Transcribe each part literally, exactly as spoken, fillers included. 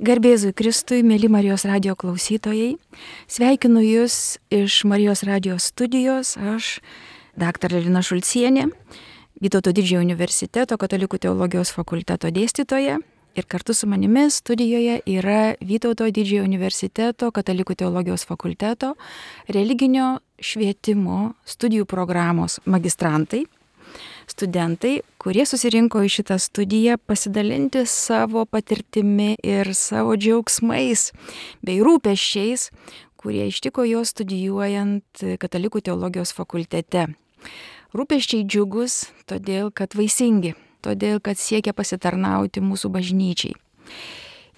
Garbėzui Kristui, mėly Marijos radijo klausytojai, sveikinu Jūs iš Marijos radijo studijos, aš, daktarė Lina Šulcienė, Vytauto Didžiojo universiteto katalikų teologijos fakulteto dėstytoja, ir kartu su manimi studijoje yra Vytauto Didžiojo universiteto katalikų teologijos fakulteto religinio švietimo studijų programos magistrantai, studentai, kurie susirinko į šitą studiją pasidalinti savo patirtimi ir savo džiaugsmais bei rūpesčiais, kurie ištiko juos studijuojant katalikų teologijos fakultete. Rūpesčiai džiugus, todėl kad vaisingi, todėl kad siekia pasitarnauti mūsų bažnyčiai.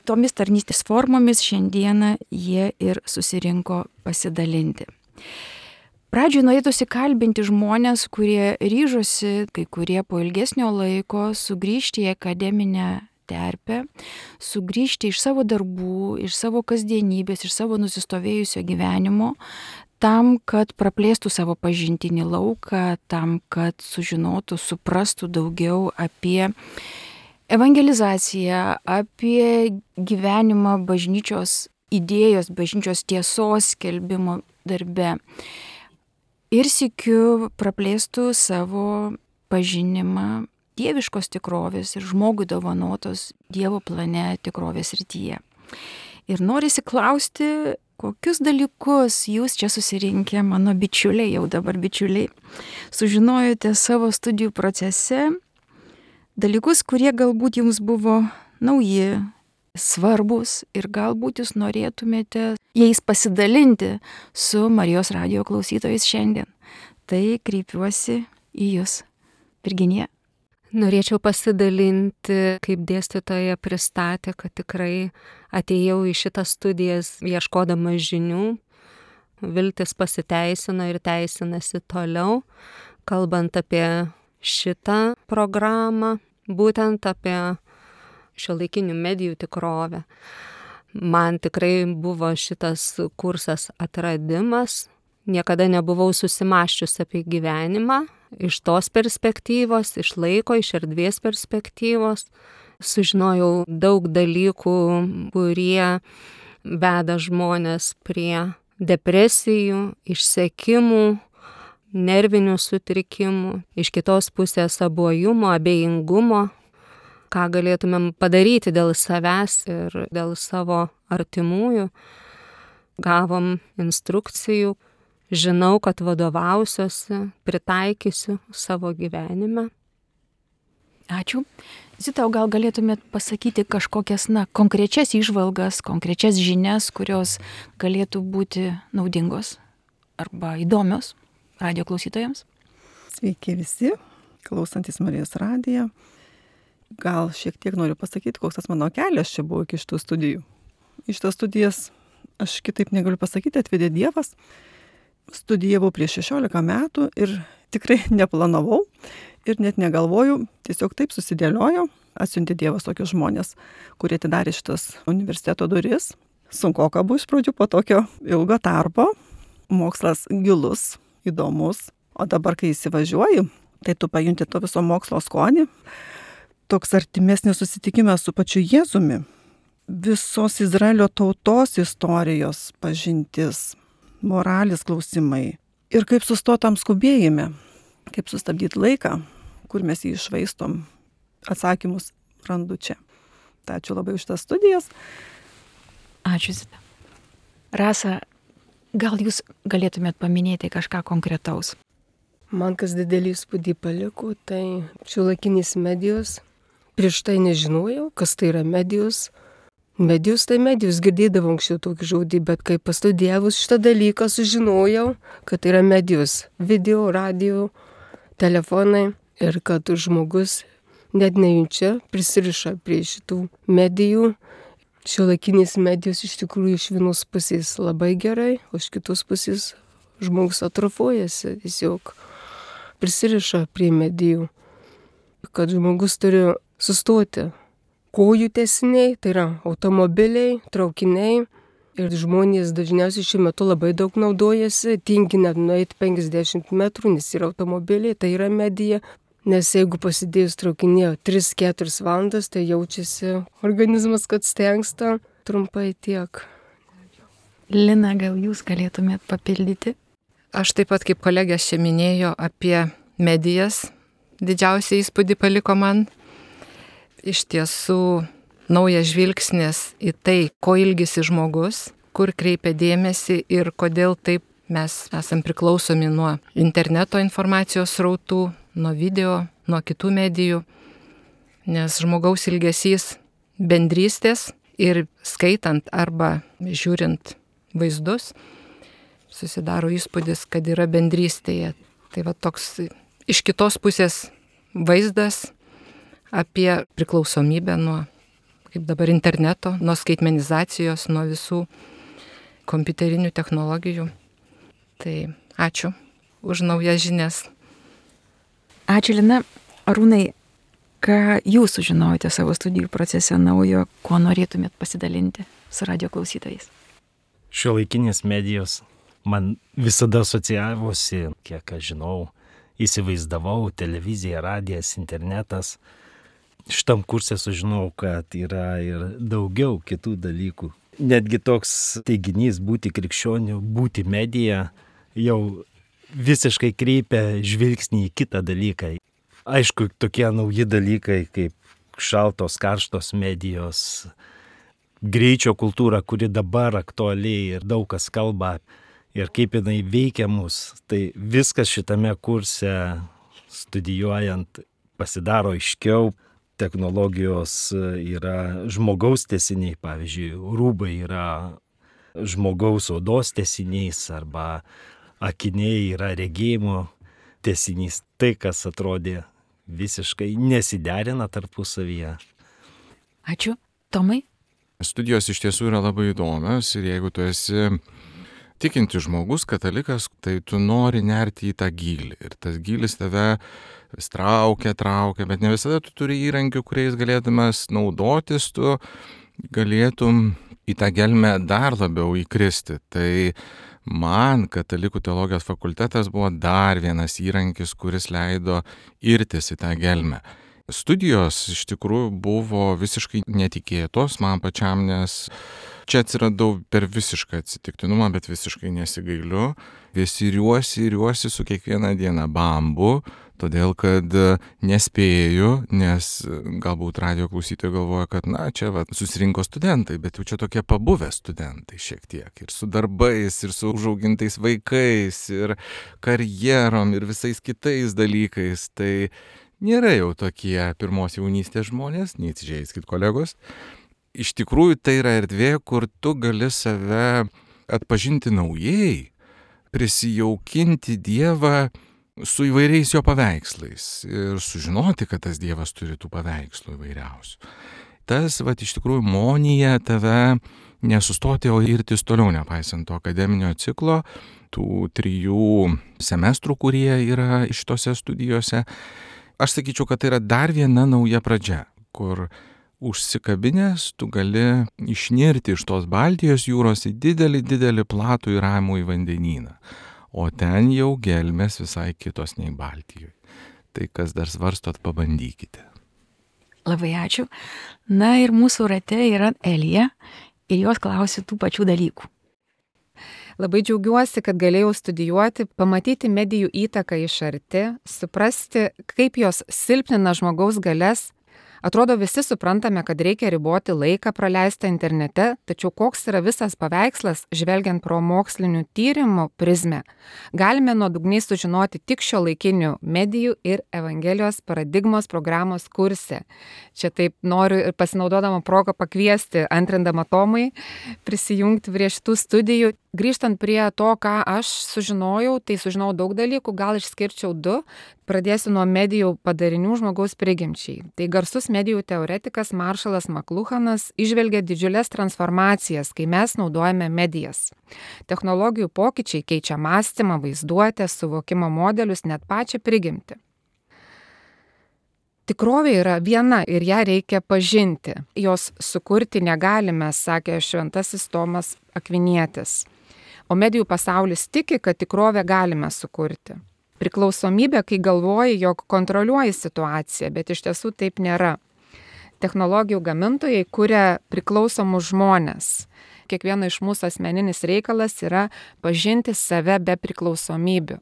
Tomis tarnystės formomis šiandieną jie ir susirinko pasidalinti. Pradžioje norėtųsi kalbinti žmonės, kurie ryžosi, kai kurie po ilgesnio laiko, sugrįžti į akademinę terpę, sugrįžti iš savo darbų, iš savo kasdienybės, iš savo nusistovėjusio gyvenimo, tam, kad praplėstų savo pažintinį lauką, tam, kad sužinotų, suprastų daugiau apie evangelizaciją, apie gyvenimą bažnyčios idėjos, bažnyčios tiesos skelbimo darbe. Ir sykiu praplėstų savo pažinimą dieviškos tikrovės ir žmogui dovanotos Dievo plane tikrovės srityje. Ir norisi klausti, kokius dalykus jūs čia susirinkę, mano bičiuliai, jau dabar bičiuliai, sužinojote savo studijų procese, dalykus, kurie galbūt jums buvo nauji, svarbus ir galbūt jūs norėtumėte jais pasidalinti su Marijos radijo klausytojais šiandien. Tai kreipiuosi į jūs, Virginija. Norėčiau pasidalinti, kaip dėstytoja pristatė, kad tikrai atėjau į šitas studijas ieškodama žinių. Viltis pasiteisino ir teisinasi toliau, kalbant apie šitą programą, būtent apie šiuolaikinių medijų tikrovę. Man tikrai buvo šitas kursas atradimas. Niekada nebuvau susimąsčius apie gyvenimą iš tos perspektyvos, iš laiko, iš erdvės perspektyvos. Sužinojau daug dalykų, kurie veda žmonės prie depresijų, išsekimų, nervinių sutrikimų, iš kitos pusės abuojumo, abejingumo, ką galėtumėm padaryti dėl savęs ir dėl savo artimųjų. Gavom instrukcijų, žinau, kad vadovausiuosi, pritaikysiu savo gyvenime. Ačiū. Zita, gal galėtumėt pasakyti kažkokias, na, konkrečias įžvalgas, konkrečias žinias, kurios galėtų būti naudingos arba įdomios radijo klausytojams? Sveiki visi, klausantis Marijos radiją. Gal šiek tiek noriu pasakyti, koks tas mano kelias čia buvo iki šitų studijų. Iš tas studijas, aš kitaip negaliu pasakyti, atvedė Dievas. Studijavau prieš šešiolika metų ir tikrai neplanavau ir net negalvojau, tiesiog taip susidėliojo. Atsiuntė Dievas tokius žmonės, kurie atidarė šitas universiteto duris. Sunkoka buvo iš pradžių po tokio ilgo tarpo. Mokslas gilus, įdomus. O dabar, kai įsivažiuoji, tai tu pajunti to viso mokslo skonį. Toks artimesnis susitikimas su pačiu Jėzumi, visos Izraelio tautos istorijos pažintis, moralės klausimai ir kaip sustotam skubėjime, kaip sustabdyti laiką, kur mes jį iššvaistom, atsakymus randu čia. Tai ačiū labai už tas studijas. Ačiū, Zita. Rasa, gal jūs galėtumėt paminėti kažką konkretaus? Man kas didelį įspūdį paliko, tai šiuolaikinės medijos. Prieš tai nežinojau, kas tai yra medijos. Medijos tai medijos, girdėdavau anksčiau tokį žodį, bet kai pastudijavus šitą dalyką sužinojau, kad tai yra medijos. Video, radio, telefonai ir kad žmogus net nejunčia prisiriša prie šitų medijų. Šiuolaikinės medijos iš tikrųjų iš vienos pusės labai gerai, o iš kitos pusės žmogus atrofuojasi, tiesiog prisiriša prie medijų. Kad žmogus turi sustoti. Kojų tęsiniai, tai yra automobiliai, traukiniai ir žmonės dažniausiai šiuo metu labai daug naudojasi, tingi net nueiti penkiasdešimt metrų, nes yra automobiliai, tai yra medija. Nes jeigu pasidėjus traukinėje tris keturias valandas, tai jaučiasi organizmas, kad stengsta. Trumpai tiek. Lina, gal jūs galėtumėt papildyti? Aš taip pat, kaip kolegės čia minėjo apie medijas, didžiausią įspūdį paliko man. Iš tiesų, naujas žvilgsnis į tai, ko ilgisi žmogus, kur kreipia dėmesį ir kodėl taip mes esam priklausomi nuo interneto informacijos srautų, nuo video, nuo kitų medijų, nes žmogaus ilgesys bendrystės ir skaitant arba žiūrint vaizdus, susidaro įspūdis, kad yra bendrystėje. Tai va toks iš kitos pusės vaizdas apie priklausomybę nuo, kaip dabar, interneto, nuo skaitmenizacijos, nuo visų kompiuterinių technologijų. Tai ačiū už naujas žinias. Ačiū, Lina. Arūnai, ką jūs sužinojote savo studijų procese naujo, kuo norėtumėt pasidalinti su radio klausytojais? Šiuolaikinės medijos man visada asocijavosi, kiek aš žinau, įsivaizdavau, televizija, radijas, internetas. Šitam kurse sužinau, kad yra ir daugiau kitų dalykų. Netgi toks teiginys būti krikščioniu, būti medija jau visiškai kreipia žvilgsnį į kitą dalyką. Aišku, tokie nauji dalykai kaip šaltos, karštos medijos, greičio kultūra, kuri dabar aktualiai ir daug kas kalba ir kaip jinai veikia mus. Tai viskas šitame kurse studijuojant pasidaro aiškiau. Technologijos yra žmogaus tęsiniai, pavyzdžiui, rūbai yra žmogaus odos tęsinys arba akiniai yra regėjimo tęsinys. Tai, kas atrodė visiškai nesiderina tarpusavyje. Ačiū. Tomai? Studijos iš tiesų yra labai įdomios ir jeigu tu esi tikintis žmogus, katalikas, tai tu nori nerti į tą gylį. Ir tas gylis tave vis traukia, traukia, bet ne visada tu turi įrankių, kuriais galėdamas naudotis, tu galėtum į tą gelmę dar labiau įkristi. Tai man katalikų teologijos fakultetas buvo dar vienas įrankis, kuris leido irtis į tą gelmę. Studijos iš tikrųjų buvo visiškai netikėtos man pačiam, nes čia atsiradau per visišką atsitiktinumą, bet visiškai nesigailiu. Vis iriuosi, iriuosi su kiekviena diena bambu, todėl kad nespėju, nes galbūt radio klausytojai galvoja, kad na, čia va, susirinko studentai, bet jau čia tokie pabuvę studentai šiek tiek. Ir su darbais, ir su užaugintais vaikais, ir karjerom, ir visais kitais dalykais. Tai nėra jau tokie pirmos jaunystės žmonės, neįsižeiskit kolegos. Iš tikrųjų, tai yra erdvė, kur tu gali save atpažinti naujai, prisijaukinti Dievą su įvairiais jo paveikslais ir sužinoti, kad tas Dievas turi tų paveikslų įvairiausių. Tas, va, iš tikrųjų, monija tave nesustoti, o irtis toliau, nepaisant to akademinio ciklo, tų trijų semestrų, kurie yra šitose studijose. Aš sakyčiau, kad tai yra dar viena nauja pradžia, kur užsikabinęs tu gali išnirti iš tos Baltijos jūros į didelį, didelį platų ir ramų į vandenyną. O ten jau gelmės visai kitos nei Baltijoje. Tai kas dar svarstot, pabandykite. Labai ačiū. Na ir mūsų rate yra Elija ir jos klausi tų pačių dalykų. Labai džiaugiuosi, kad galėjau studijuoti, pamatyti medijų įtaką iš arti, suprasti, kaip jos silpnina žmogaus galias. Atrodo, visi suprantame, kad reikia riboti laiką praleistą internete, tačiau koks yra visas paveikslas, žvelgiant pro mokslinių tyrimų prizmę, galime nuodugniai sužinoti tik šiuolaikinių medijų ir Evangelijos paradigmos programos kurse. Čia taip noriu ir pasinaudodama progą pakviesti, antrindama Tomai, prisijungti prie šitų studijų. Grįžtant prie to, ką aš sužinojau, tai sužinojau daug dalykų, gal išskirčiau du. Pradėsiu nuo medijų padarinių žmogaus prigimčiai. Tai garsus medijų teoretikas Maršalas Makluhanas įžvelgia didžiulės transformacijas, kai mes naudojame medijas. Technologijų pokyčiai keičia mąstymą, vaizduotę, suvokimo modelius, net pačią prigimtį. Tikrovė yra viena ir ją reikia pažinti. Jos sukurti negalime, sakė šventasis Tomas Akvinietis. O medijų pasaulis tiki, kad tikrovę galime sukurti. Priklausomybė, kai galvoji, jog kontroliuoji situaciją, bet iš tiesų taip nėra. technologijų gamintojai kuria priklausomus žmonės. Kiekvieno iš mūsų asmeninis reikalas yra pažinti save be priklausomybių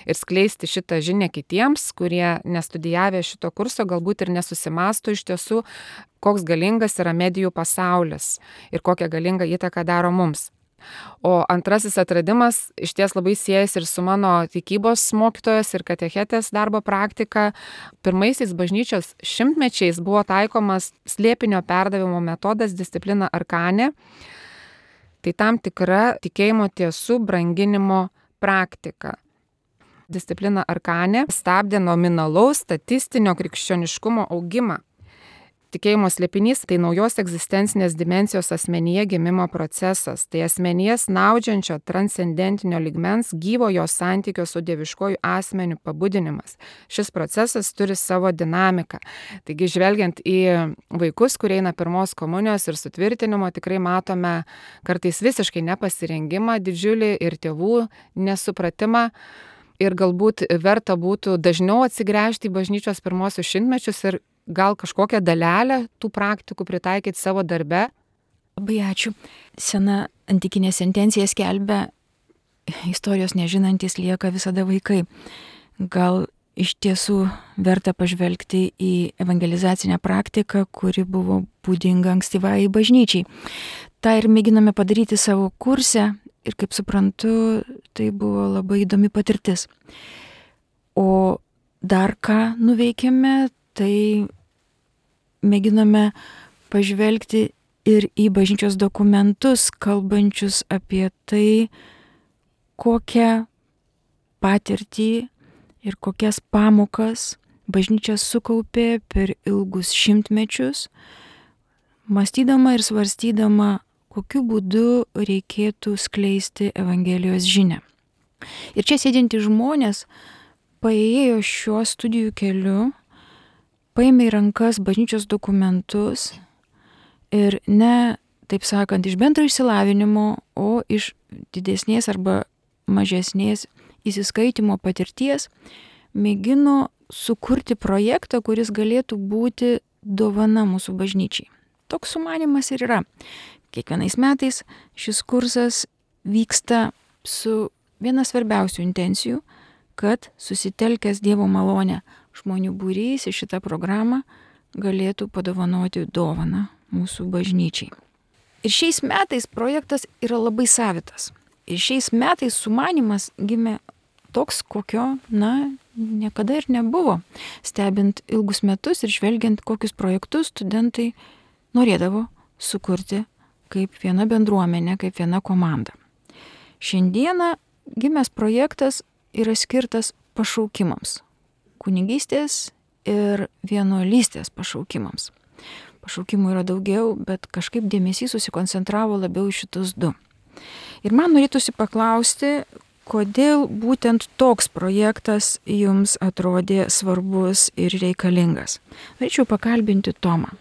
ir skleisti šitą žinią kitiems, kurie nestudijavę šito kurso galbūt ir nesusimasto iš tiesų, koks galingas yra medijų pasaulis ir kokią galingą įtaką daro mums. O antrasis atradimas iš ties labai siejasi ir su mano tikybos mokytojos ir katechetės darbo praktika. Pirmaisiais bažnyčios šimtmečiais buvo taikomas slėpinio perdavimo metodas disciplina arkane. Tai tam tikra tikėjimo tiesų branginimo praktika. Disciplina arkane stabdė nominalaus statistinio krikščioniškumo augimą. Tikėjimo slėpinys tai naujos egzistencinės dimensijos asmenyje gimimo procesas, tai asmenyje snaudžiančio transcendentinio lygmens gyvojo santykio su dieviškoju asmeniu pabudinimas. Šis procesas turi savo dinamiką. Taigi, žvelgiant į vaikus, kurie eina pirmos komunijos ir sutvirtinimo, tikrai matome kartais visiškai nepasirengimą didžiulį ir tėvų nesupratimą. Ir galbūt verta būtų dažniau atsigręžti į bažnyčios pirmosius šimtmečius ir gal kažkokią dalelę tų praktikų pritaikyti savo darbe. Labai ačiū. Sena antikinė sentencija skelbia, istorijos nežinantys lieka visada vaikai. Gal iš tiesų verta pažvelgti į evangelizacinę praktiką, kuri buvo būdinga ankstyvai bažnyčiai. Ta ir mėginame padaryti savo kurse ir, kaip suprantu, tai buvo labai įdomi patirtis. O dar ką nuveikėme, tai mėginame pažvelgti ir į bažnyčios dokumentus, kalbančius apie tai, kokią patirtį ir kokias pamokas bažnyčia sukaupė per ilgus šimtmečius, mąstydama ir svarstydama, kokiu būdu reikėtų skleisti Evangelijos žinią. Ir čia sėdinti žmonės paėjo šiuo studijų keliu, paėmė į rankas bažnyčios dokumentus ir ne, taip sakant, iš bendro išsilavinimo, o iš didesnės arba mažesnės įsiskaitimo patirties mėgino sukurti projektą, kuris galėtų būti dovana mūsų bažnyčiai. Toks sumanymas ir yra. Kiekvienais metais šis kursas vyksta su viena svarbiausių intencijų, kad susitelkęs Dievo malonę žmonių būrys į šitą programą galėtų padovanoti dovaną mūsų bažnyčiai. Ir šiais metais projektas yra labai savitas. Ir šiais metais sumanymas gimė toks, kokio, na, niekada ir nebuvo. Stebint ilgus metus ir žvelgiant, kokius projektus studentai norėdavo sukurti kaip viena bendruomenė, kaip viena komanda. Šiandieną gimęs projektas yra skirtas pašaukimams. Kunigystės ir vienuolystės pašaukimams. Pašaukimų yra daugiau, bet kažkaip dėmesys susikoncentravo labiau į šitus du. Ir man norėtųsi paklausti, kodėl būtent toks projektas jums atrodė svarbus ir reikalingas. Norėčiau pakalbinti Tomą.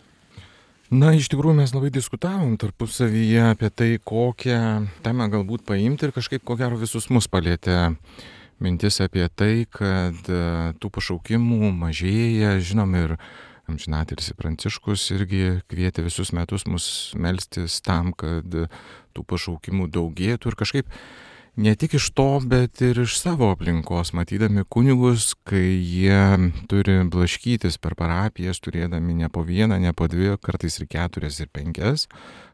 Na, iš tikrųjų mes labai diskutavom tarpusavyje apie tai, kokią temą galbūt paimti ir kažkaip ko gero visus mus palėtė mintis apie tai, kad tų pašaukimų mažėja, žinom, ir amžinatilsį Pranciškus irgi kvietė visus metus mus melstis tam, kad tų pašaukimų daugėtų ir kažkaip ne tik iš to, bet ir iš savo aplinkos, matydami kunigus, kai jie turi blaškytis per parapijas, turėdami ne po vieną, ne po dvi, kartais ir keturias ir penkias,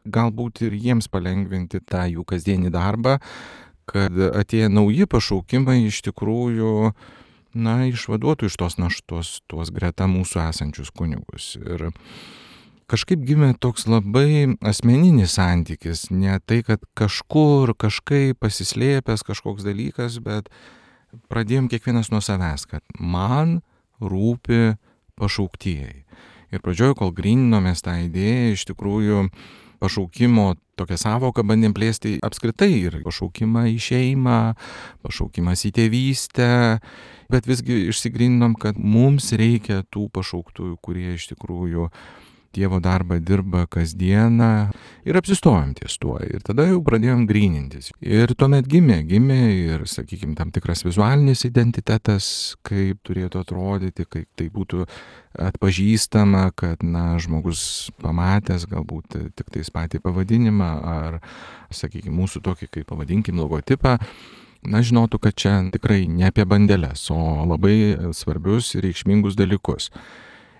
galbūt ir jiems palengvinti tą jų kasdienį darbą, kad atėję nauji pašaukimai iš tikrųjų, na, išvaduotų iš tos naštos, tuos greta mūsų esančius kunigus. Ir kažkaip gimė toks labai asmeninis santykis, ne tai, kad kažkur, kažkaip pasislėpęs kažkoks dalykas, bet pradėjom kiekvienas nuo savęs, kad man rūpi pašauktieji. Ir pradžioje, kol gryninomės tą idėją, iš tikrųjų pašaukimo tokią savoką bandėm plėsti apskritai ir pašaukimą į šeimą, pašaukimas į tėvystę, bet visgi išsigryninom, kad mums reikia tų pašauktųjų, kurie iš tikrųjų Dievo darbą dirba kasdieną ir apsistojom ties tuo. Ir tada jau pradėjom grynintis. Ir tuomet gimė, gimė ir, sakykime, tam tikras vizualinis identitetas, kaip turėtų atrodyti, kaip tai būtų atpažįstama, kad, na, žmogus pamatęs galbūt tik tais patį pavadinimą ar, sakykime, mūsų tokį, kaip pavadinkim, logotipą, na, žinotų, kad čia tikrai ne apie bandeles, o labai svarbius ir reikšmingus dalykus.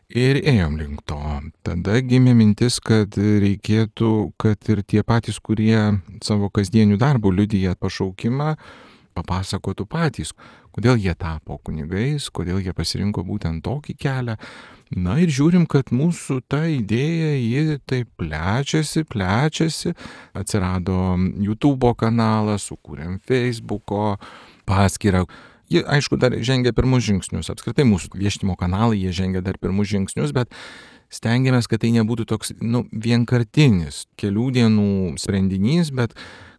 Ir ėjom link to. Tada gimė mintis, kad reikėtų, kad ir tie patys, kurie savo kasdienių darbų liudija pašaukimą, papasakotų patys, kodėl jie tapo kunigais, kodėl jie pasirinko būtent tokį kelią. Na ir žiūrim, kad mūsų ta idėja, ji taip plečiasi, plečiasi. Atsirado YouTube kanalas, sukūrėm Facebooko paskyrą. Jie, aišku, dar žengia pirmus žingsnius. Apskritai mūsų viešinimo kanalai, jie žengia dar pirmus žingsnius, bet stengiamės, kad tai nebūtų toks, nu, vienkartinis kelių dienų sprendinys, bet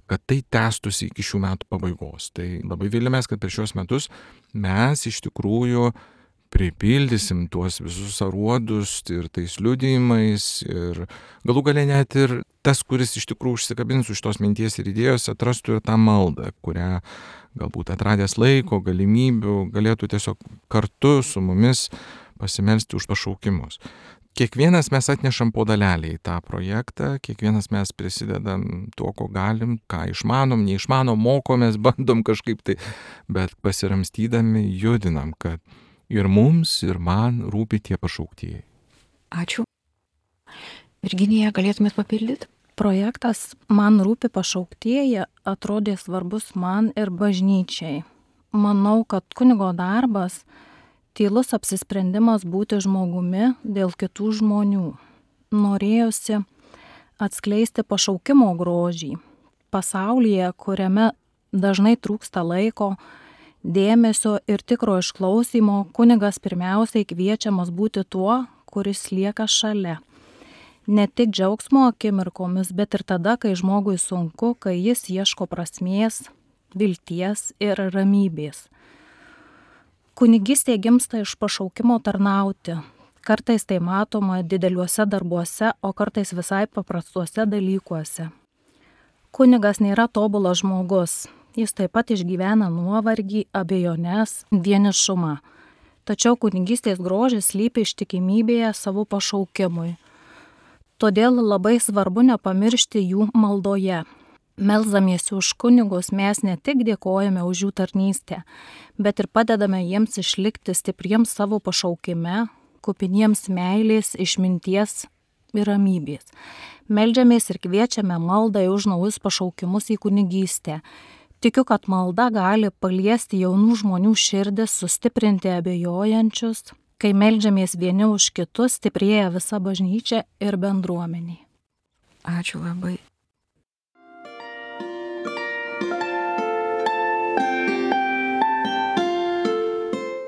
kad tai tęstųsi iki šių metų pabaigos. Tai labai viliamės, kad per šios metus mes iš tikrųjų pripildysim tuos visus aruodus ir tais liudijimais ir galų gale net ir tas, kuris iš tikrųjų užsikabins už tos minties ir idėjos, atrastų ir tą maldą, kurią galbūt atradęs laiko, galimybių, galėtų tiesiog kartu su mumis pasimelsti už pašaukimus. Kiekvienas mes atnešam po dalelį į tą projektą, kiekvienas mes prisidedam tuo, ko galim, ką išmanom, neišmanom, mokomės, bandom kažkaip tai, bet pasiramstydami judinam, kad ir mums, ir man rūpi tie pašauktieji. Ačiū. Virginija, galėtumėt papildyti? Projektas Man rūpi pašauktieji atrodė svarbus man ir bažnyčiai. Manau, kad kunigo darbas tylus apsisprendimas būti žmogumi dėl kitų žmonių. Norėjosi atskleisti pašaukimo grožį. Pasaulyje, kuriame dažnai trūksta laiko, dėmesio ir tikro išklausymo, kunigas pirmiausiai kviečiamas būti tuo, kuris lieka šalia. Ne tik džiaugsmo akimirkomis, bet ir tada, kai žmogui sunku, kai jis ieško prasmės, vilties ir ramybės. Kunigystė gimsta iš pašaukimo tarnauti. Kartais tai matoma dideliuose darbuose, o kartais visai paprastuose dalykuose. Kunigas nėra tobulas žmogus. Jis taip pat išgyvena nuovargį, abejones, vienišumą. Tačiau kunigystės grožis slypi ištikimybėje savo pašaukimui. Todėl labai svarbu nepamiršti jų maldoje. Melzdamiesi už kunigus mes ne tik dėkojame už jų tarnystę, bet ir padedame jiems išlikti stipriems savo pašaukime, kupiniems meilės, išminties ir ramybės. Meldžiamės ir kviečiame maldai už naujus pašaukimus į kunigystę. Tikiu, kad malda gali paliesti jaunų žmonių širdis, sustiprinti abejojančius. Kai meldžiamės vieni už kitus, stiprėja visa bažnyčia ir bendruomenė. Ačiū labai.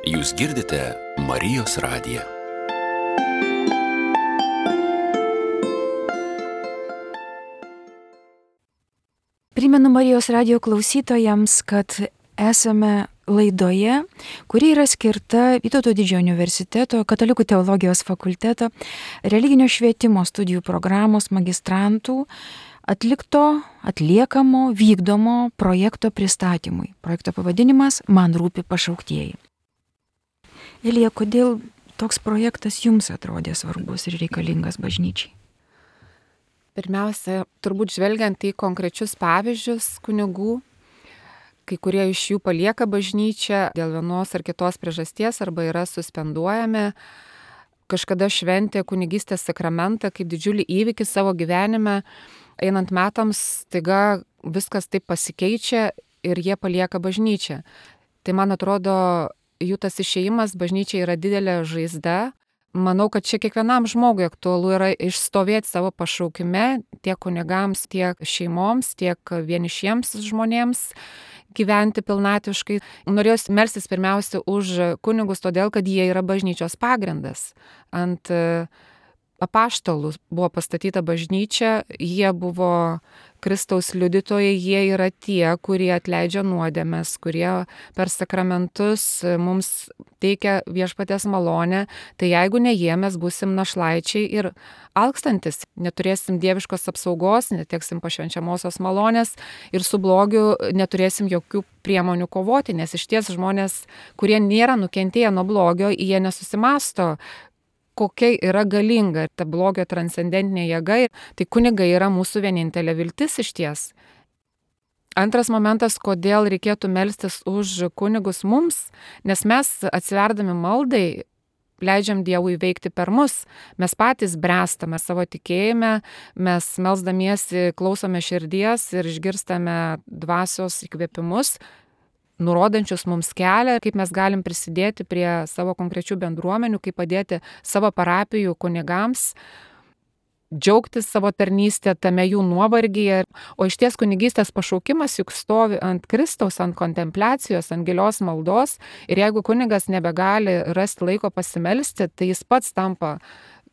Jūs girdite Marijos radiją. Primenu Marijos radijo klausytojams, kad esame laidoje, kuri yra skirta Vytauto Didžiojo universiteto Katalikų teologijos fakulteto religinio švietimo studijų programos magistrantų atlikto, atliekamo, vykdomo projekto pristatymui. Projekto pavadinimas Man rūpi pašauktieji. Ilija, kodėl toks projektas jums atrodė svarbus ir reikalingas bažnyčiai? Pirmiausia, turbūt žvelgiant į konkrečius pavyzdžius kunigų, kai kurie iš jų palieka bažnyčią dėl vienos ar kitos priežasties arba yra suspenduojami, kažkada šventė kunigystės sakramentą kaip didžiulį įvykį savo gyvenime, einant metams staiga viskas taip pasikeičia ir jie palieka bažnyčią. Tai man atrodo, jų tas išėjimas bažnyčia yra didelė žaizda. Manau, kad čia kiekvienam žmogui aktualu yra išstovėti savo pašaukime, tiek kunigams, tiek šeimoms, tiek vienišiems žmonėms gyventi pilnatviškai. Norėjau melstis pirmiausia už kunigus, todėl, kad jie yra bažnyčios pagrindas. Ant apaštalų buvo pastatyta bažnyčia, jie buvo Kristaus liudytojai, jie yra tie, kurie atleidžia nuodėmes, kurie per sakramentus mums teikia viešpaties malonę. Tai jeigu ne jie, mes būsim našlaičiai ir alkstantis, neturėsim dieviškos apsaugos, neteksim pašvenčiamosios malonės ir su blogiu neturėsim jokių priemonių kovoti, nes iš ties žmonės, kurie nėra nukentėję nuo blogio, jie nesusimasto, kokia yra galinga ta blogio transcendentinė jėga. Tai kunigai yra mūsų vienintelė viltis iš ties. Antras momentas, kodėl reikėtų melstis už kunigus mums, nes mes atsiverdami maldai leidžiam Dievui veikti per mus, mes patys bręstame savo tikėjime, mes melsdamiesi klausome širdies ir išgirstame dvasios įkvėpimus, nurodančius mums kelią, kaip mes galim prisidėti prie savo konkrečių bendruomenių, kaip padėti savo parapijų kunigams, džiaugtis savo tarnystę tame jų nuovargyje. O iš ties kunigystės pašaukimas juk stovi ant Kristaus, ant kontempliacijos, ant gilios maldos. Ir jeigu kunigas nebegali rasti laiko pasimelsti, tai jis pats tampa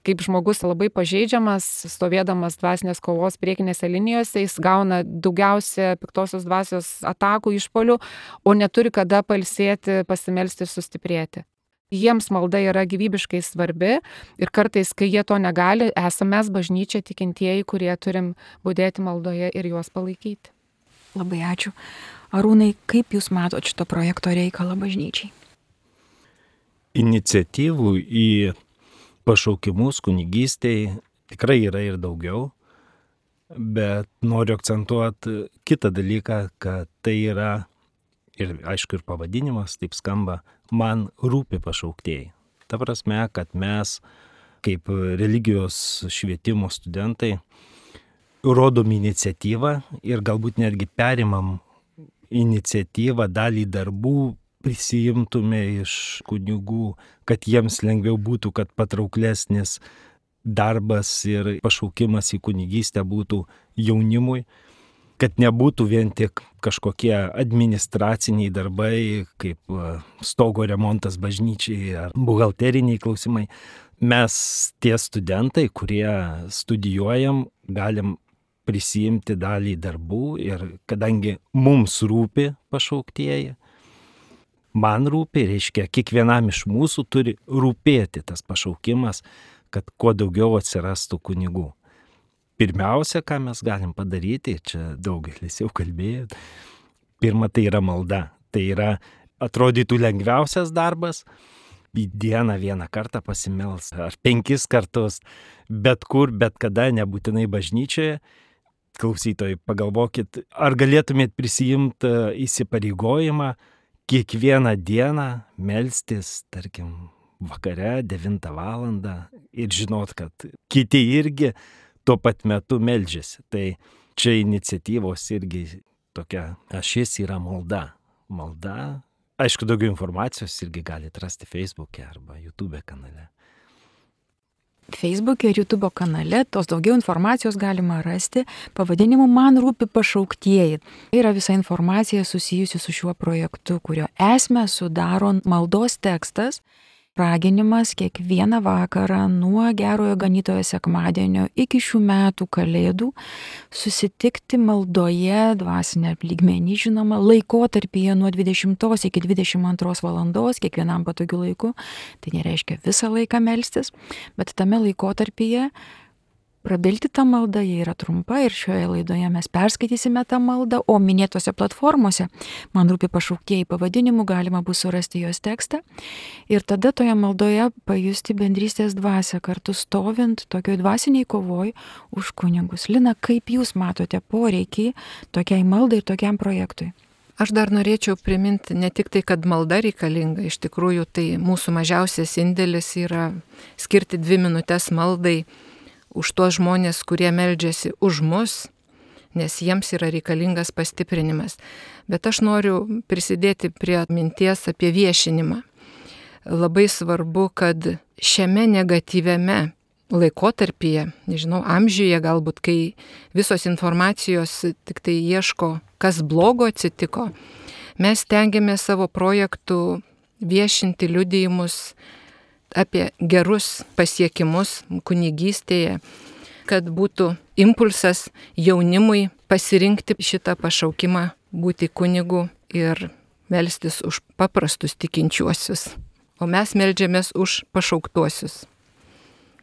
kaip žmogus labai pažeidžiamas, stovėdamas dvasinės kovos priekinėse linijose, jis gauna daugiausia piktosios dvasios atakų, išpolių, o neturi kada pailsėti, pasimelsti ir sustiprėti. Jiems malda yra gyvybiškai svarbi ir kartais, kai jie to negali, esame mes bažnyčia tikintieji, kurie turim budėti maldoje ir juos palaikyti. Labai ačiū. Arūnai, kaip Jūs matot šito projekto reikalą bažnyčiai? Iniciatyvų į pašaukimus kunigystėj tikrai yra ir daugiau, bet noriu akcentuoti kitą dalyką, kad tai yra, ir aišku ir pavadinimas taip skamba, man rūpi pašauktieji. Ta prasme, kad mes kaip religijos švietimo studentai rodom iniciatyvą ir galbūt netgi perimam iniciatyvą, dalį darbų prisijimtume iš kunigų, kad jiems lengviau būtų, kad patrauklesnis darbas ir pašaukimas į kunigystę būtų jaunimui, kad nebūtų vien tik kažkokie administraciniai darbai, kaip stogo remontas bažnyčiai ar buhalteriniai klausimai. Mes tie studentai, kurie studijuojam, galim prisijimti dalį darbų ir kadangi mums rūpi pašauktieji, man rūpi, reiškia, kiekvienam iš mūsų turi rūpėti tas pašaukimas, kad kuo daugiau atsirastų kunigų. Pirmiausia, ką mes galim padaryti, čia daugelis jau kalbėjo, pirma, tai yra malda. Tai yra, atrodytų lengviausias darbas, į dieną vieną kartą pasimels, ar penkis kartus, bet kur, bet kada, nebūtinai bažnyčioje. Klausytojai, pagalvokit, ar galėtumėt prisijimti įsipareigojimą kiekvieną dieną melstis, tarkim, vakare devintą valandą ir žinot, kad kiti irgi tuo pat metu meldžiasi. Tai čia iniciatyvos irgi tokia ašis yra malda. Malda. Aišku, daugiau informacijos irgi galite rasti Facebook'e arba YouTube kanale. Facebook'e ir YouTube kanale tos daugiau informacijos galima rasti pavadinimu Man rūpi pašauktieji. Tai yra visa informacija susijusi su šiuo projektu, kurio esmę sudaro maldos tekstas, raginimas kiekvieną vakarą nuo Gerojo Ganytojo sekmadienio iki šių metų Kalėdų susitikti maldoje, dvasinė lygmenį, žinoma, laikotarpyje nuo dvidešimtos iki dvidešimt antros valandos, kiekvienam patogiu laiku. Tai nereiškia visą laiką melstis, bet tame laikotarpyje prabilti tą maldą, jie yra trumpa ir šioje laidoje mes perskaitysime tą maldą, o minėtose platformose Man rūpi pašauktieji pavadinimu galima bus surasti jos tekstą ir tada toje maldoje pajusti bendrystės dvasią, kartu stovint tokioj dvasiniai kovoj už kunigus. Lina, kaip Jūs matote poreikį tokiai maldai ir tokiam projektui? Aš dar norėčiau priminti ne tik tai, kad malda reikalinga, iš tikrųjų tai mūsų mažiausias indėlis yra skirti dvi minutės maldai už tuos žmonės, kurie meldžiasi už mus, nes jiems yra reikalingas pastiprinimas. Bet aš noriu prisidėti prie minties apie viešinimą. Labai svarbu, kad šiame negatyviame laikotarpyje, nežinau, amžiuje galbūt, kai visos informacijos tik tai ieško, kas blogo atsitiko, mes stengiamės savo projektų viešinti liudijimus apie gerus pasiekimus kunigystėje. kad būtų impulsas jaunimui pasirinkti šitą pašaukimą būti kunigu ir melstis už paprastus tikinčiuosius. O mes meldžiamės už pašauktuosius.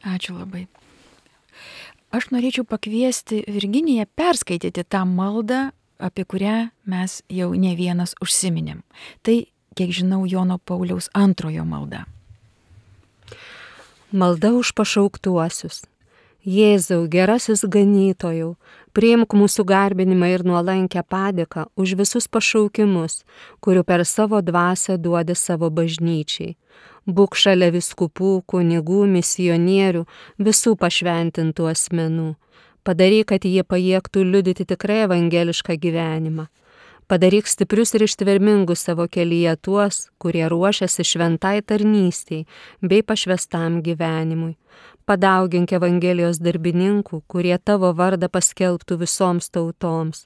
Ačiū labai. Aš norėčiau pakviesti Virginiją perskaityti tą maldą, apie kurią mes jau ne vienas užsiminėm. Tai, kiek žinau, Jono Pauliaus antrojo malda. Malda už pašauktuosius. Jėzau, gerasis ganytojau, priimk mūsų garbinimą ir nuolankę padėką už visus pašaukimus, kurių per savo dvasią duodi savo bažnyčiai. Būk šalia vyskupų, kunigų, misionierių, visų pašventintų asmenų. Padaryk, kad jie pajėgtų liudyti tikrai evangelišką gyvenimą. Padaryk stiprius ir ištvermingus savo kelyje tuos, kurie ruošiasi šventai tarnystei bei pašvestam gyvenimui. Padaugink Evangelijos darbininkų, kurie tavo vardą paskelbtų visoms tautoms.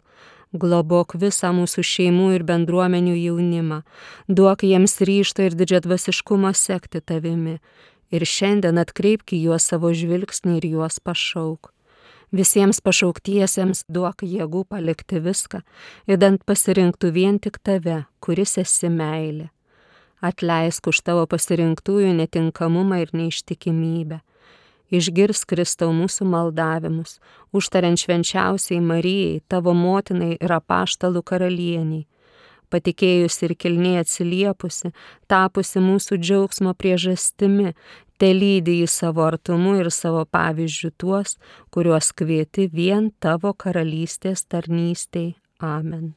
Globok visą mūsų šeimų ir bendruomenių jaunimą. Duok jiems ryžto ir didžiadvasiškumo sekti tavimi. Ir šiandien atkreipk į juos savo žvilgsnį ir juos pašauk. Visiems pašauktiesiems duok jėgų palikti viską, idant pasirinktų vien tik tave, kuris esi meilė. Atleisk už tavo pasirinktųjų netinkamumą ir neištikimybę. Išgirsk Kristau mūsų maldavimus, užtariant švenčiausiai Marijai, tavo motinai ir apaštalų karalieniai. Patikėjusi ir kilniai atsiliepusi, tapusi mūsų džiaugsmo priežastimi, te lydi į savo artumu ir savo pavyzdžių tuos, kuriuos kvieti vien tavo karalystės tarnystei. Amen.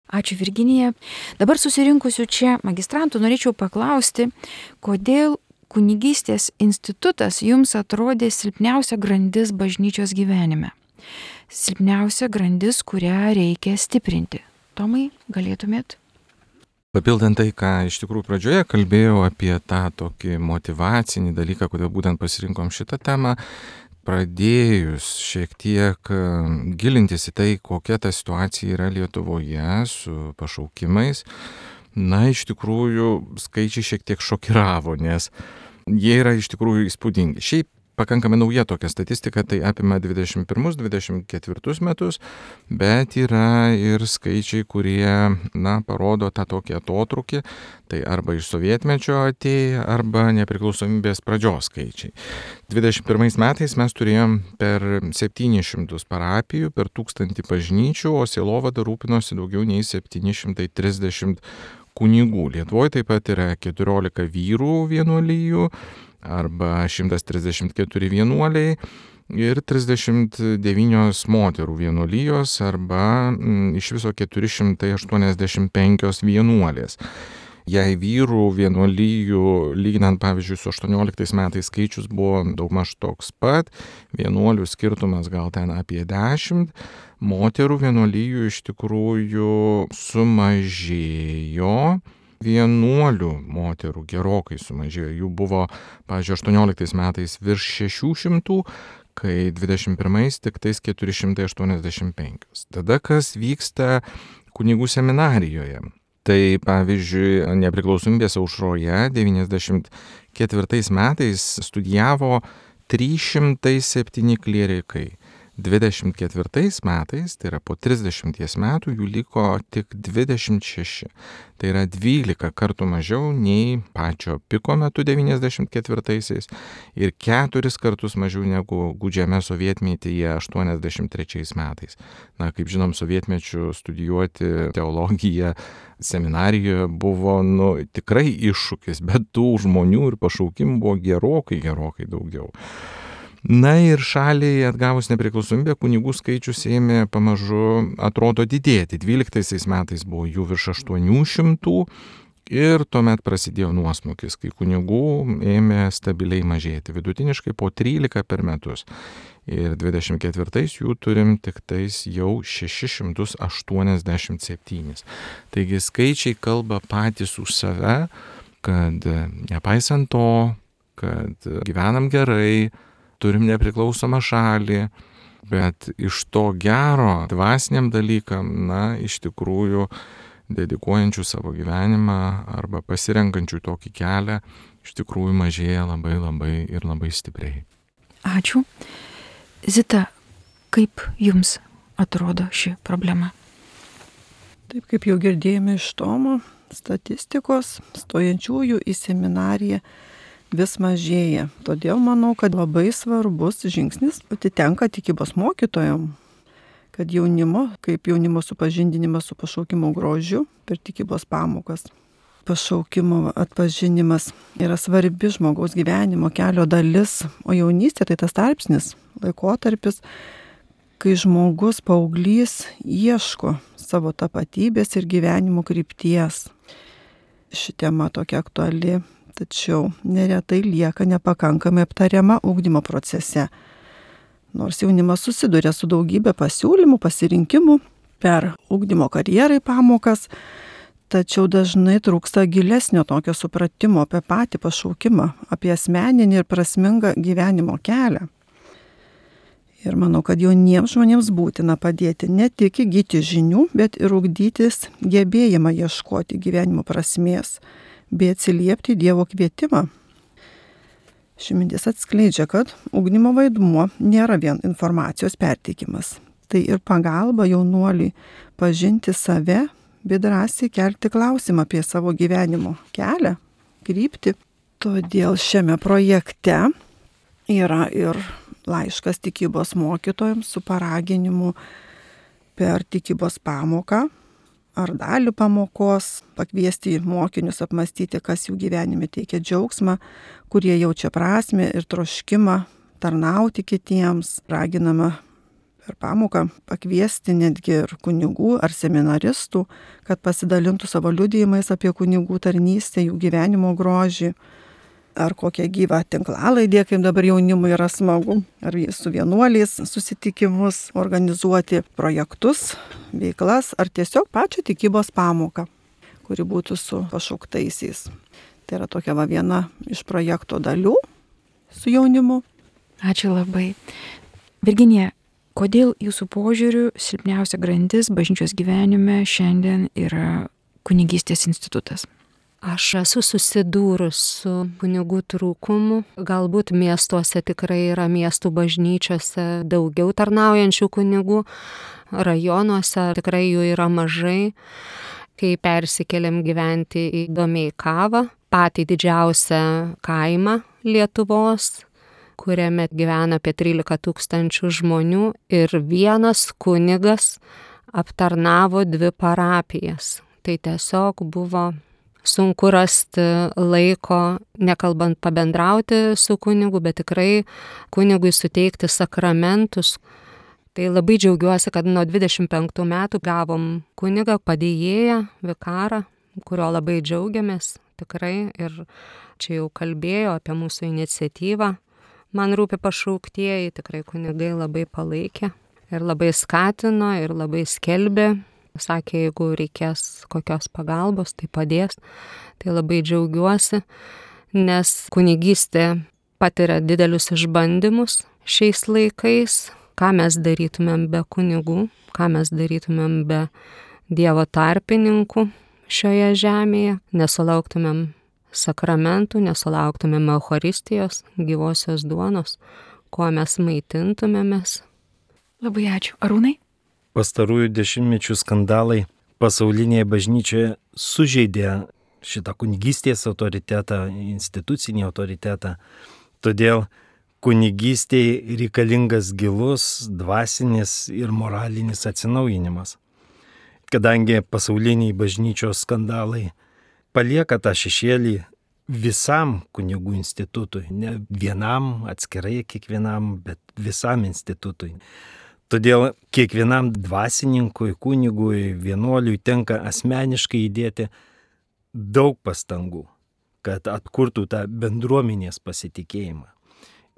Ačiū, Virginija. Dabar susirinkusiu čia magistrantų norėčiau paklausti, kodėl kunigystės institutas jums atrodė silpniausia grandis bažnyčios gyvenime. Silpniausia grandis, kurią reikia stiprinti. Tomai, galėtumėt? Papildant tai, ką iš tikrųjų pradžioje kalbėjau apie tą tokį motyvacinį dalyką, kodėl būtent pasirinkom šitą temą, pradėjus šiek tiek gilintis į tai, kokia ta situacija yra Lietuvoje su pašaukimais, na, iš tikrųjų skaičiai šiek tiek šokiravo, nes jie yra iš tikrųjų įspūdingi. Šiaip pakankamai nauja tokia statistika, tai apima dvidešimt pirmus dvidešimt ketvirtus metus, bet yra ir skaičiai, kurie, na, parodo tą tokį atotrūkį, tai arba iš sovietmečio atėję, arba nepriklausomybės pradžios skaičiai. dvidešimt pirmais metais mes turėjom per septynis šimtus parapijų, per tūkstantį bažnyčių, o sielovada rūpinosi daugiau nei septyni šimtai trisdešimt kunigų. Lietuvoje taip pat yra keturiolika vyrų vienuolijų, arba šimtas trisdešimt keturi vienuoliai ir trisdešimt devynios moterų vienuolijos, arba m, iš viso keturi šimtai aštuoniasdešimt penkios vienuolės. Jei vyrų vienuolijų, lyginant pavyzdžiui su aštuonioliktais metais skaičius buvo daugmaž toks pat, vienuolių skirtumas gal ten apie dešimt, moterų vienuolijų iš tikrųjų sumažėjo. Vienuolių moterų gerokai sumažėjo, jų buvo, pavyzdžiui, aštuonioliktais metais virš šešių šimtų, kai dvidešimt pirmais tik tais keturi šimtai aštuoniasdešimt penki. Tada kas vyksta kunigų seminarijoje? Tai, pavyzdžiui, nepriklausomybės aušroje devyniasdešimt ketvirtais metais studijavo trys šimtai septyni klierikai. dvidešimt ketvirtais metais, tai yra po trisdešimties metų, jų liko tik dvidešimt šeši. Tai yra dvylika kartų mažiau nei pačio piko metu devyniasdešimt ketvirtaisiais ir keturis kartus mažiau negu gūdžiame sovietmetyje aštuoniasdešimt trečiais metais. Na, kaip žinom, sovietmečiu studijuoti teologiją seminarijoje buvo, nu, tikrai iššūkis, bet tų žmonių ir pašaukimų buvo gerokai, gerokai daugiau. Na ir šaliai atgavus nepriklausomybę, kunigų skaičius ėmė pamažu, atrodo, didėti. dvyliktaisiais metais buvo jų virš aštuonių šimtų ir tuomet prasidėjo nuosmukis, kai kunigų ėmė stabiliai mažėti, vidutiniškai po trylika per metus. Ir dvidešimt ketvirtais jų turim tik tais jau šešis šimtus aštuoniasdešimt septynis. Taigi skaičiai kalba patys už save, kad nepaisant to, kad gyvenam gerai, turim nepriklausomą šalį, bet iš to gero dvasiniam dalykam, na, iš tikrųjų dedikuojančių savo gyvenimą arba pasirenkančių tokį kelią, iš tikrųjų mažėja labai labai ir labai stipriai. Ačiū. Zita, kaip jums atrodo ši problema? Taip kaip jau girdėjome iš Tomo statistikos, stojančiųjų į seminariją vis mažėja. Todėl manau, kad labai svarbus žingsnis atitenka tikybos mokytojam, kad jaunimo, kaip jaunimo supažindinimas su pašaukimo grožiu per tikybos pamokas. Pašaukimo atpažinimas yra svarbi žmogaus gyvenimo kelio dalis, o jaunystė tai tas tarpsnis, laikotarpis, kai žmogus paauglys ieško savo tapatybės ir gyvenimo krypties. Ši tema tokia aktuali, tačiau neretai lieka nepakankamai aptariama ugdymo procese. Nors jaunimas susiduria su daugybė pasiūlymų, pasirinkimų per ugdymo karjerai pamokas, tačiau dažnai trūksta gilesnio tokio supratimo apie patį pašaukimą, apie asmeninį ir prasmingą gyvenimo kelią. Ir manau, kad jauniems žmonėms būtina padėti ne tik įgyti žinių, bet ir ugdytis gebėjimą ieškoti gyvenimo prasmės, bei atsiliepti Dievo kvietimą. Ši mintis atskleidžia, kad ugdymo vaidmuo nėra vien informacijos perteikimas. Tai ir pagalba jaunuoliui pažinti save, bei drąsiai kelti klausimą apie savo gyvenimo kelią, kryptį. Todėl šiame projekte yra ir laiškas tikybos mokytojams su paraginimu per tikybos pamoką ar dalį pamokos pakviesti mokinius apmastyti, kas jų gyvenime teikia džiaugsmą, kurie jaučia prasmę ir troškimą tarnauti kitiems. Raginama per pamoką pakviesti netgi ir kunigų ar seminaristų, kad pasidalintų savo liudijimais apie kunigų tarnystę, jų gyvenimo grožį, ar kokią gyvą tinklalaidę, kaip dabar jaunimui yra smagu, ar su vienuoliais susitikimus, organizuoti projektus, veiklas, ar tiesiog pačią tikybos pamoką, kuri būtų su pašauktaisiais. Tai yra tokia va viena iš projekto dalių su jaunimu. Ačiū labai. Virginija, kodėl jūsų požiūriu silpniausia grandis bažnyčios gyvenime šiandien yra kunigystės institutas? Aš esu susidūrus su kunigų trūkumu. Galbūt miestuose tikrai yra miestų bažnyčiose daugiau tarnaujančių kunigų, rajonuose tikrai jų yra mažai. Kai persikėlėm gyventi į Domeikavą, patį didžiausią kaimą Lietuvos, kuriame gyvena apie trylika tūkstančių žmonių ir vienas kunigas aptarnavo dvi parapijas. Tai tiesiog buvo sunku rasti laiko, nekalbant pabendrauti su kunigu, bet tikrai kunigui suteikti sakramentus. Tai labai džiaugiuosi, kad nuo dvidešimt penktų metų gavom kunigą, padėjėją, vikarą, kurio labai džiaugiamės tikrai. Ir čia jau kalbėjo apie mūsų iniciatyvą. Man rūpi pašauktieji, tikrai kunigai labai palaikė ir labai skatino ir labai skelbė. Sakė, jeigu reikės kokios pagalbos, tai padės. Tai labai džiaugiuosi, nes kunigystė patiria didelius išbandymus šiais laikais. Ką mes darytumėm be kunigų, ką mes darytumėm be Dievo tarpininkų šioje žemėje, nesulauktumėm sakramentų, nesulauktumėm Eucharistijos, gyvosios duonos, kuo mes maitintumėmės. Labai ačiū. Arūnai? Pastarųjų dešimtmečių skandalai pasaulinėje bažnyčioje sužeidė šitą kunigystės autoritetą, institucinį autoritetą. Todėl kunigystėje reikalingas gilus, dvasinis ir moralinis atsinaujinimas. Kadangi pasauliniai bažnyčios skandalai palieka tą šešėlį visam kunigų institutui, ne vienam atskirai kiekvienam, bet visam institutui. Todėl kiekvienam dvasininkui, kunigui, vienuoliui tenka asmeniškai įdėti daug pastangų, kad atkurtų tą bendruomenės pasitikėjimą.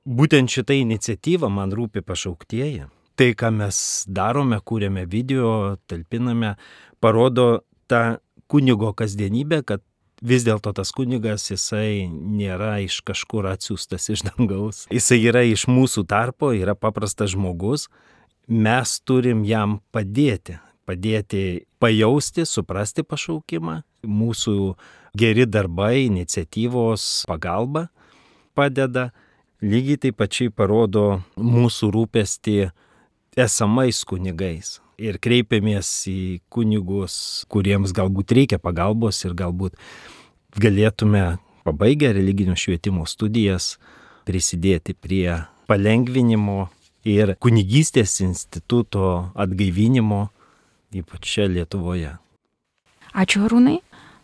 Būtent šitą iniciatyvą man rūpi pašauktieji. Tai, ką mes darome, kūrėme video, talpiname, parodo tą kunigo kasdienybę, kad vis dėlto tas kunigas, jisai nėra iš kažkur atsiųstas iš dangaus. Jisai yra iš mūsų tarpo, yra paprastas žmogus. Mes turim jam padėti, padėti pajausti, suprasti pašaukimą. Mūsų geri darbai, iniciatyvos pagalba padeda. lygiai taip pačiai parodo mūsų rūpestį esamais kunigais. Ir kreipiamės į kunigus, kuriems galbūt reikia pagalbos ir galbūt galėtume pabaigę religinio švietimo studijas prisidėti prie palengvinimo ir kunigystės instituto atgaivinimo, ypač čia Lietuvoje. Ačiū, Arūnai.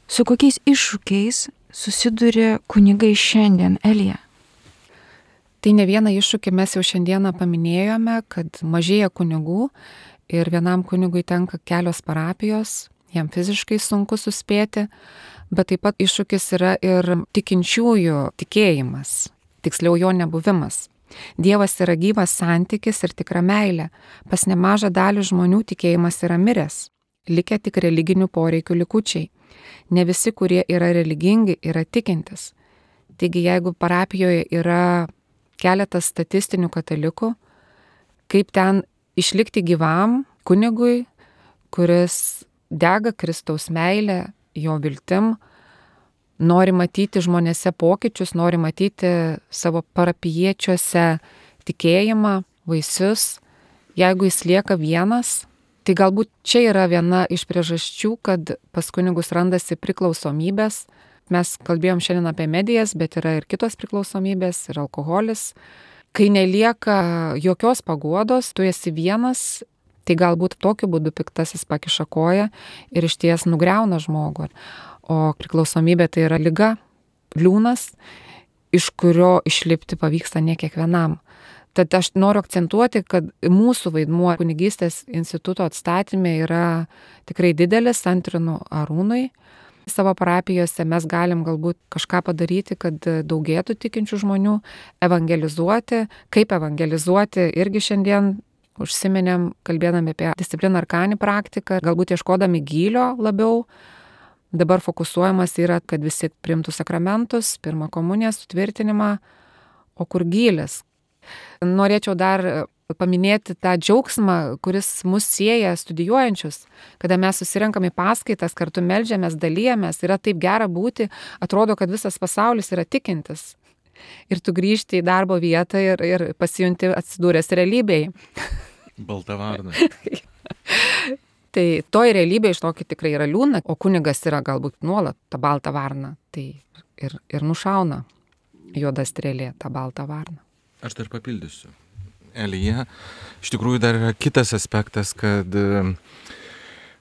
Su kokiais iššūkiais susiduria kunigai šiandien, Elija? Tai ne vieną iššūkį mes jau šiandieną paminėjome, kad mažėja kunigų ir vienam kunigui tenka kelios parapijos, jam fiziškai sunku suspėti, bet taip pat iššūkis yra ir tikinčiųjų tikėjimas, tiksliau jo nebuvimas. Dievas yra gyvas santykis ir tikra meilė. Pas nemažą dalį žmonių tikėjimas yra miręs, likę tik religinių poreikių likučiai. Ne visi, kurie yra religingi, yra tikintis. Taigi, jeigu parapijoje yra keletas statistinių katalikų, kaip ten išlikti gyvam kunigui, kuris dega Kristaus meilę, jo viltim, nori matyti žmonėse pokyčius, nori matyti savo parapijiečiuose tikėjimą, vaisius, jeigu jis lieka vienas, tai galbūt čia yra viena iš priežasčių, kad pas kunigus randasi priklausomybės. Mes kalbėjom šiandien apie medijas, bet yra ir kitos priklausomybės, ir alkoholis. Kai nelieka jokios paguodos, tu esi vienas, tai galbūt tokiu būdu piktasis pakiša koją ir išties nugriauna žmogų. O priklausomybė tai yra liga, liūnas, iš kurio išlipti pavyksta ne kiekvienam. Tad aš noriu akcentuoti, kad mūsų vaidmuo kunigystės instituto atstatymė yra tikrai didelis, antrinu Arūnui. Savo parapijose mes galim galbūt kažką padaryti, kad daugėtų tikinčių žmonių, evangelizuoti. Kaip evangelizuoti, irgi šiandien užsiminėm, kalbėdami apie discipliną arkanį praktiką, galbūt ieškodami gylio labiau. Dabar fokusuojamas yra, kad visi priimtų sakramentus, pirmą komuniją, sutvirtinimą, o kur gylis. Norėčiau dar paminėti tą džiaugsmą, kuris mus sieja studijuojančius, kada mes susirenkam į paskaitas, kartu meldžiamės, dalyjamės, yra taip gera būti, atrodo, kad visas pasaulis yra tikintis. Ir tu grįžti į darbo vietą ir, ir pasijunti atsidūręs realybėje. Balta varna. Tai toj realybėje iš tokio tikrai yra liūna, o kunigas yra galbūt nuolat tą baltą varną. Tai ir, ir nušauna juoda strėlė tą baltą varną. Aš dar papildysiu. Elija, iš tikrųjų dar yra kitas aspektas, kad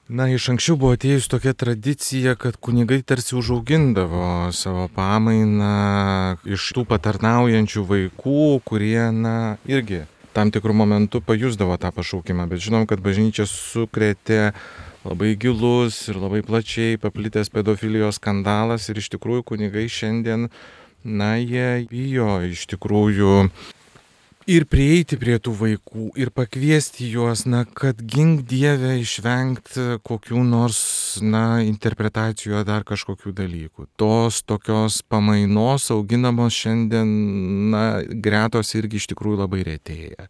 na, iš anksčiau buvo atėjus tokia tradicija, kad kunigai tarsi užaugindavo savo pamainą iš tų patarnaujančių vaikų, kurie, na, irgi tam tikrų momentų pajusdavo tą pašaukimą, bet žinom, kad bažnyčia sukrėtė labai gilus ir labai plačiai paplitęs pedofilijos skandalas ir iš tikrųjų kunigai šiandien, na, jie bijo iš tikrųjų ir prieiti prie tų vaikų, ir pakviesti juos, na, kad gink Dieve išvengti kokių nors, na, interpretacijų ar dar kažkokių dalykų. Tos tokios pamainos auginamos šiandien, na, gretos irgi iš tikrųjų labai retėja.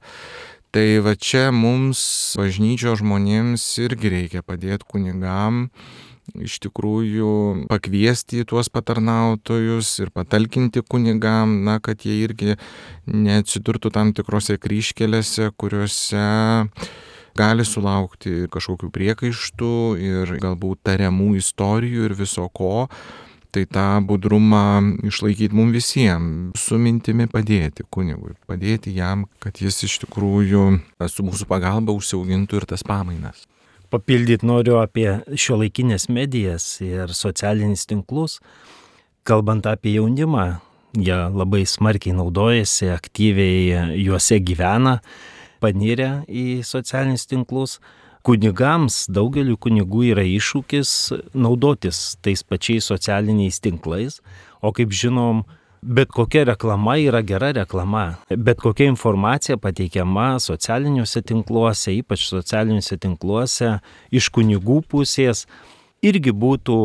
Tai va čia mums, bažnyčios žmonėms, irgi reikia padėti kunigam, iš tikrųjų pakviesti tuos patarnautojus ir patalkinti kunigam, na, kad jie irgi neatsidurtų tam tikrose kryžkelėse, kuriuose gali sulaukti kažkokių priekaištų ir galbūt tariamų istorijų ir viso ko. Tai tą budrumą išlaikyti mums visiems, su mintimi padėti kunigui, padėti jam, kad jis iš tikrųjų su mūsų pagalba užsiaugintų ir tas pamainas. Papildyti noriu apie šiuolaikinės medijas ir socialinius tinklus. Kalbant apie jaunimą, jie labai smarkiai naudojasi, aktyviai juose gyvena, panirę į socialinius tinklus. Kunigams, daugeliu kunigų yra iššūkis naudotis tais pačiais socialiniais tinklais, o kaip žinom, bet kokia reklama yra gera reklama, bet kokia informacija pateikiama socialiniuose tinkluose, ypač socialiniuose tinkluose, iš kunigų pusės, irgi būtų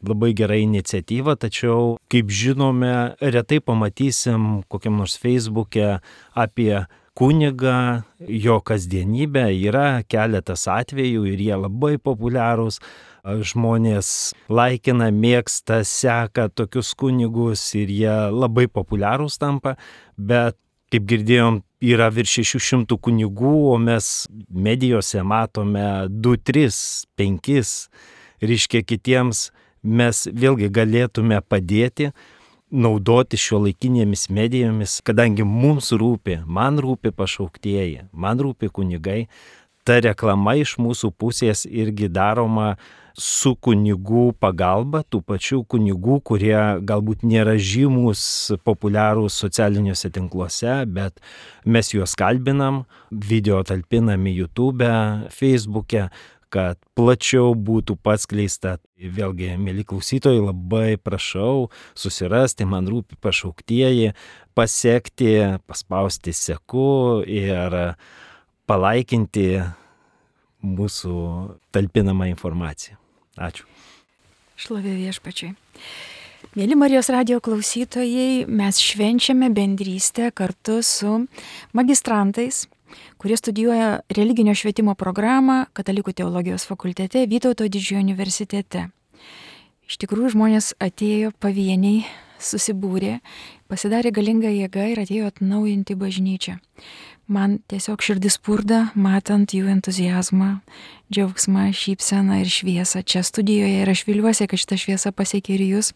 labai gera iniciatyva, tačiau, kaip žinome, retai pamatysim kokiam nors Facebook'e apie kunigą, jo kasdienybę, yra keletas atvejų ir jie labai populiarūs. Žmonės laikina, mėgsta, seka tokius kunigus ir jie labai populiarūs tampa, bet Kaip girdėjom, yra virš šešių šimtų kunigų, o mes medijose matome du, tris, penkis. Reiškia, kitiems mes vėlgi galėtume padėti naudoti šiuolaikinėmis medijomis, kadangi mums rūpi, man rūpi pašauktieji, man rūpi kunigai. Ta reklama iš mūsų pusės irgi daroma su kunigų pagalba, tų pačių kunigų, kurie galbūt nėra žymus, populiarūs socialiniuose tinkluose, bet mes juos kalbinam, video talpinam į YouTube, Facebook'e, kad plačiau būtų paskleista. Vėlgi, mėly klausytojai, labai prašau susirasti, man rūpi pašauktieji, pasiekti, paspausti seku ir palaikinti mūsų talpinamą informaciją. Ačiū. Šlovė Viešpačiui. Mėly Marijos radijo klausytojai, mes švenčiame bendrystę kartu su magistrantais, kurie studijuoja religinio švietimo programą Katalikų teologijos fakultete Vytauto didžiojo universitete. Iš tikrųjų, žmonės atėjo pavieniai, susibūrė, pasidarė galinga jėga ir atėjo atnaujinti bažnyčią. Man tiesiog širdis spurda, matant jų entuzijazmą, džiaugsmą, šypseną ir šviesą čia studijoje, ir aš viliuosi, kad šita šviesa pasiekia ir jūs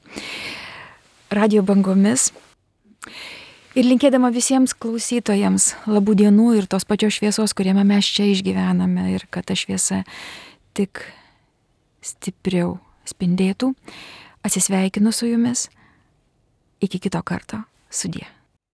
radio bangomis. Ir linkėdama visiems klausytojams labų dienų ir tos pačios šviesos, kuriame mes čia išgyvename, ir kad ta šviesa tik stipriau spindėtų. Atsisveikinu su jumis. Iki kito karto. Sudie.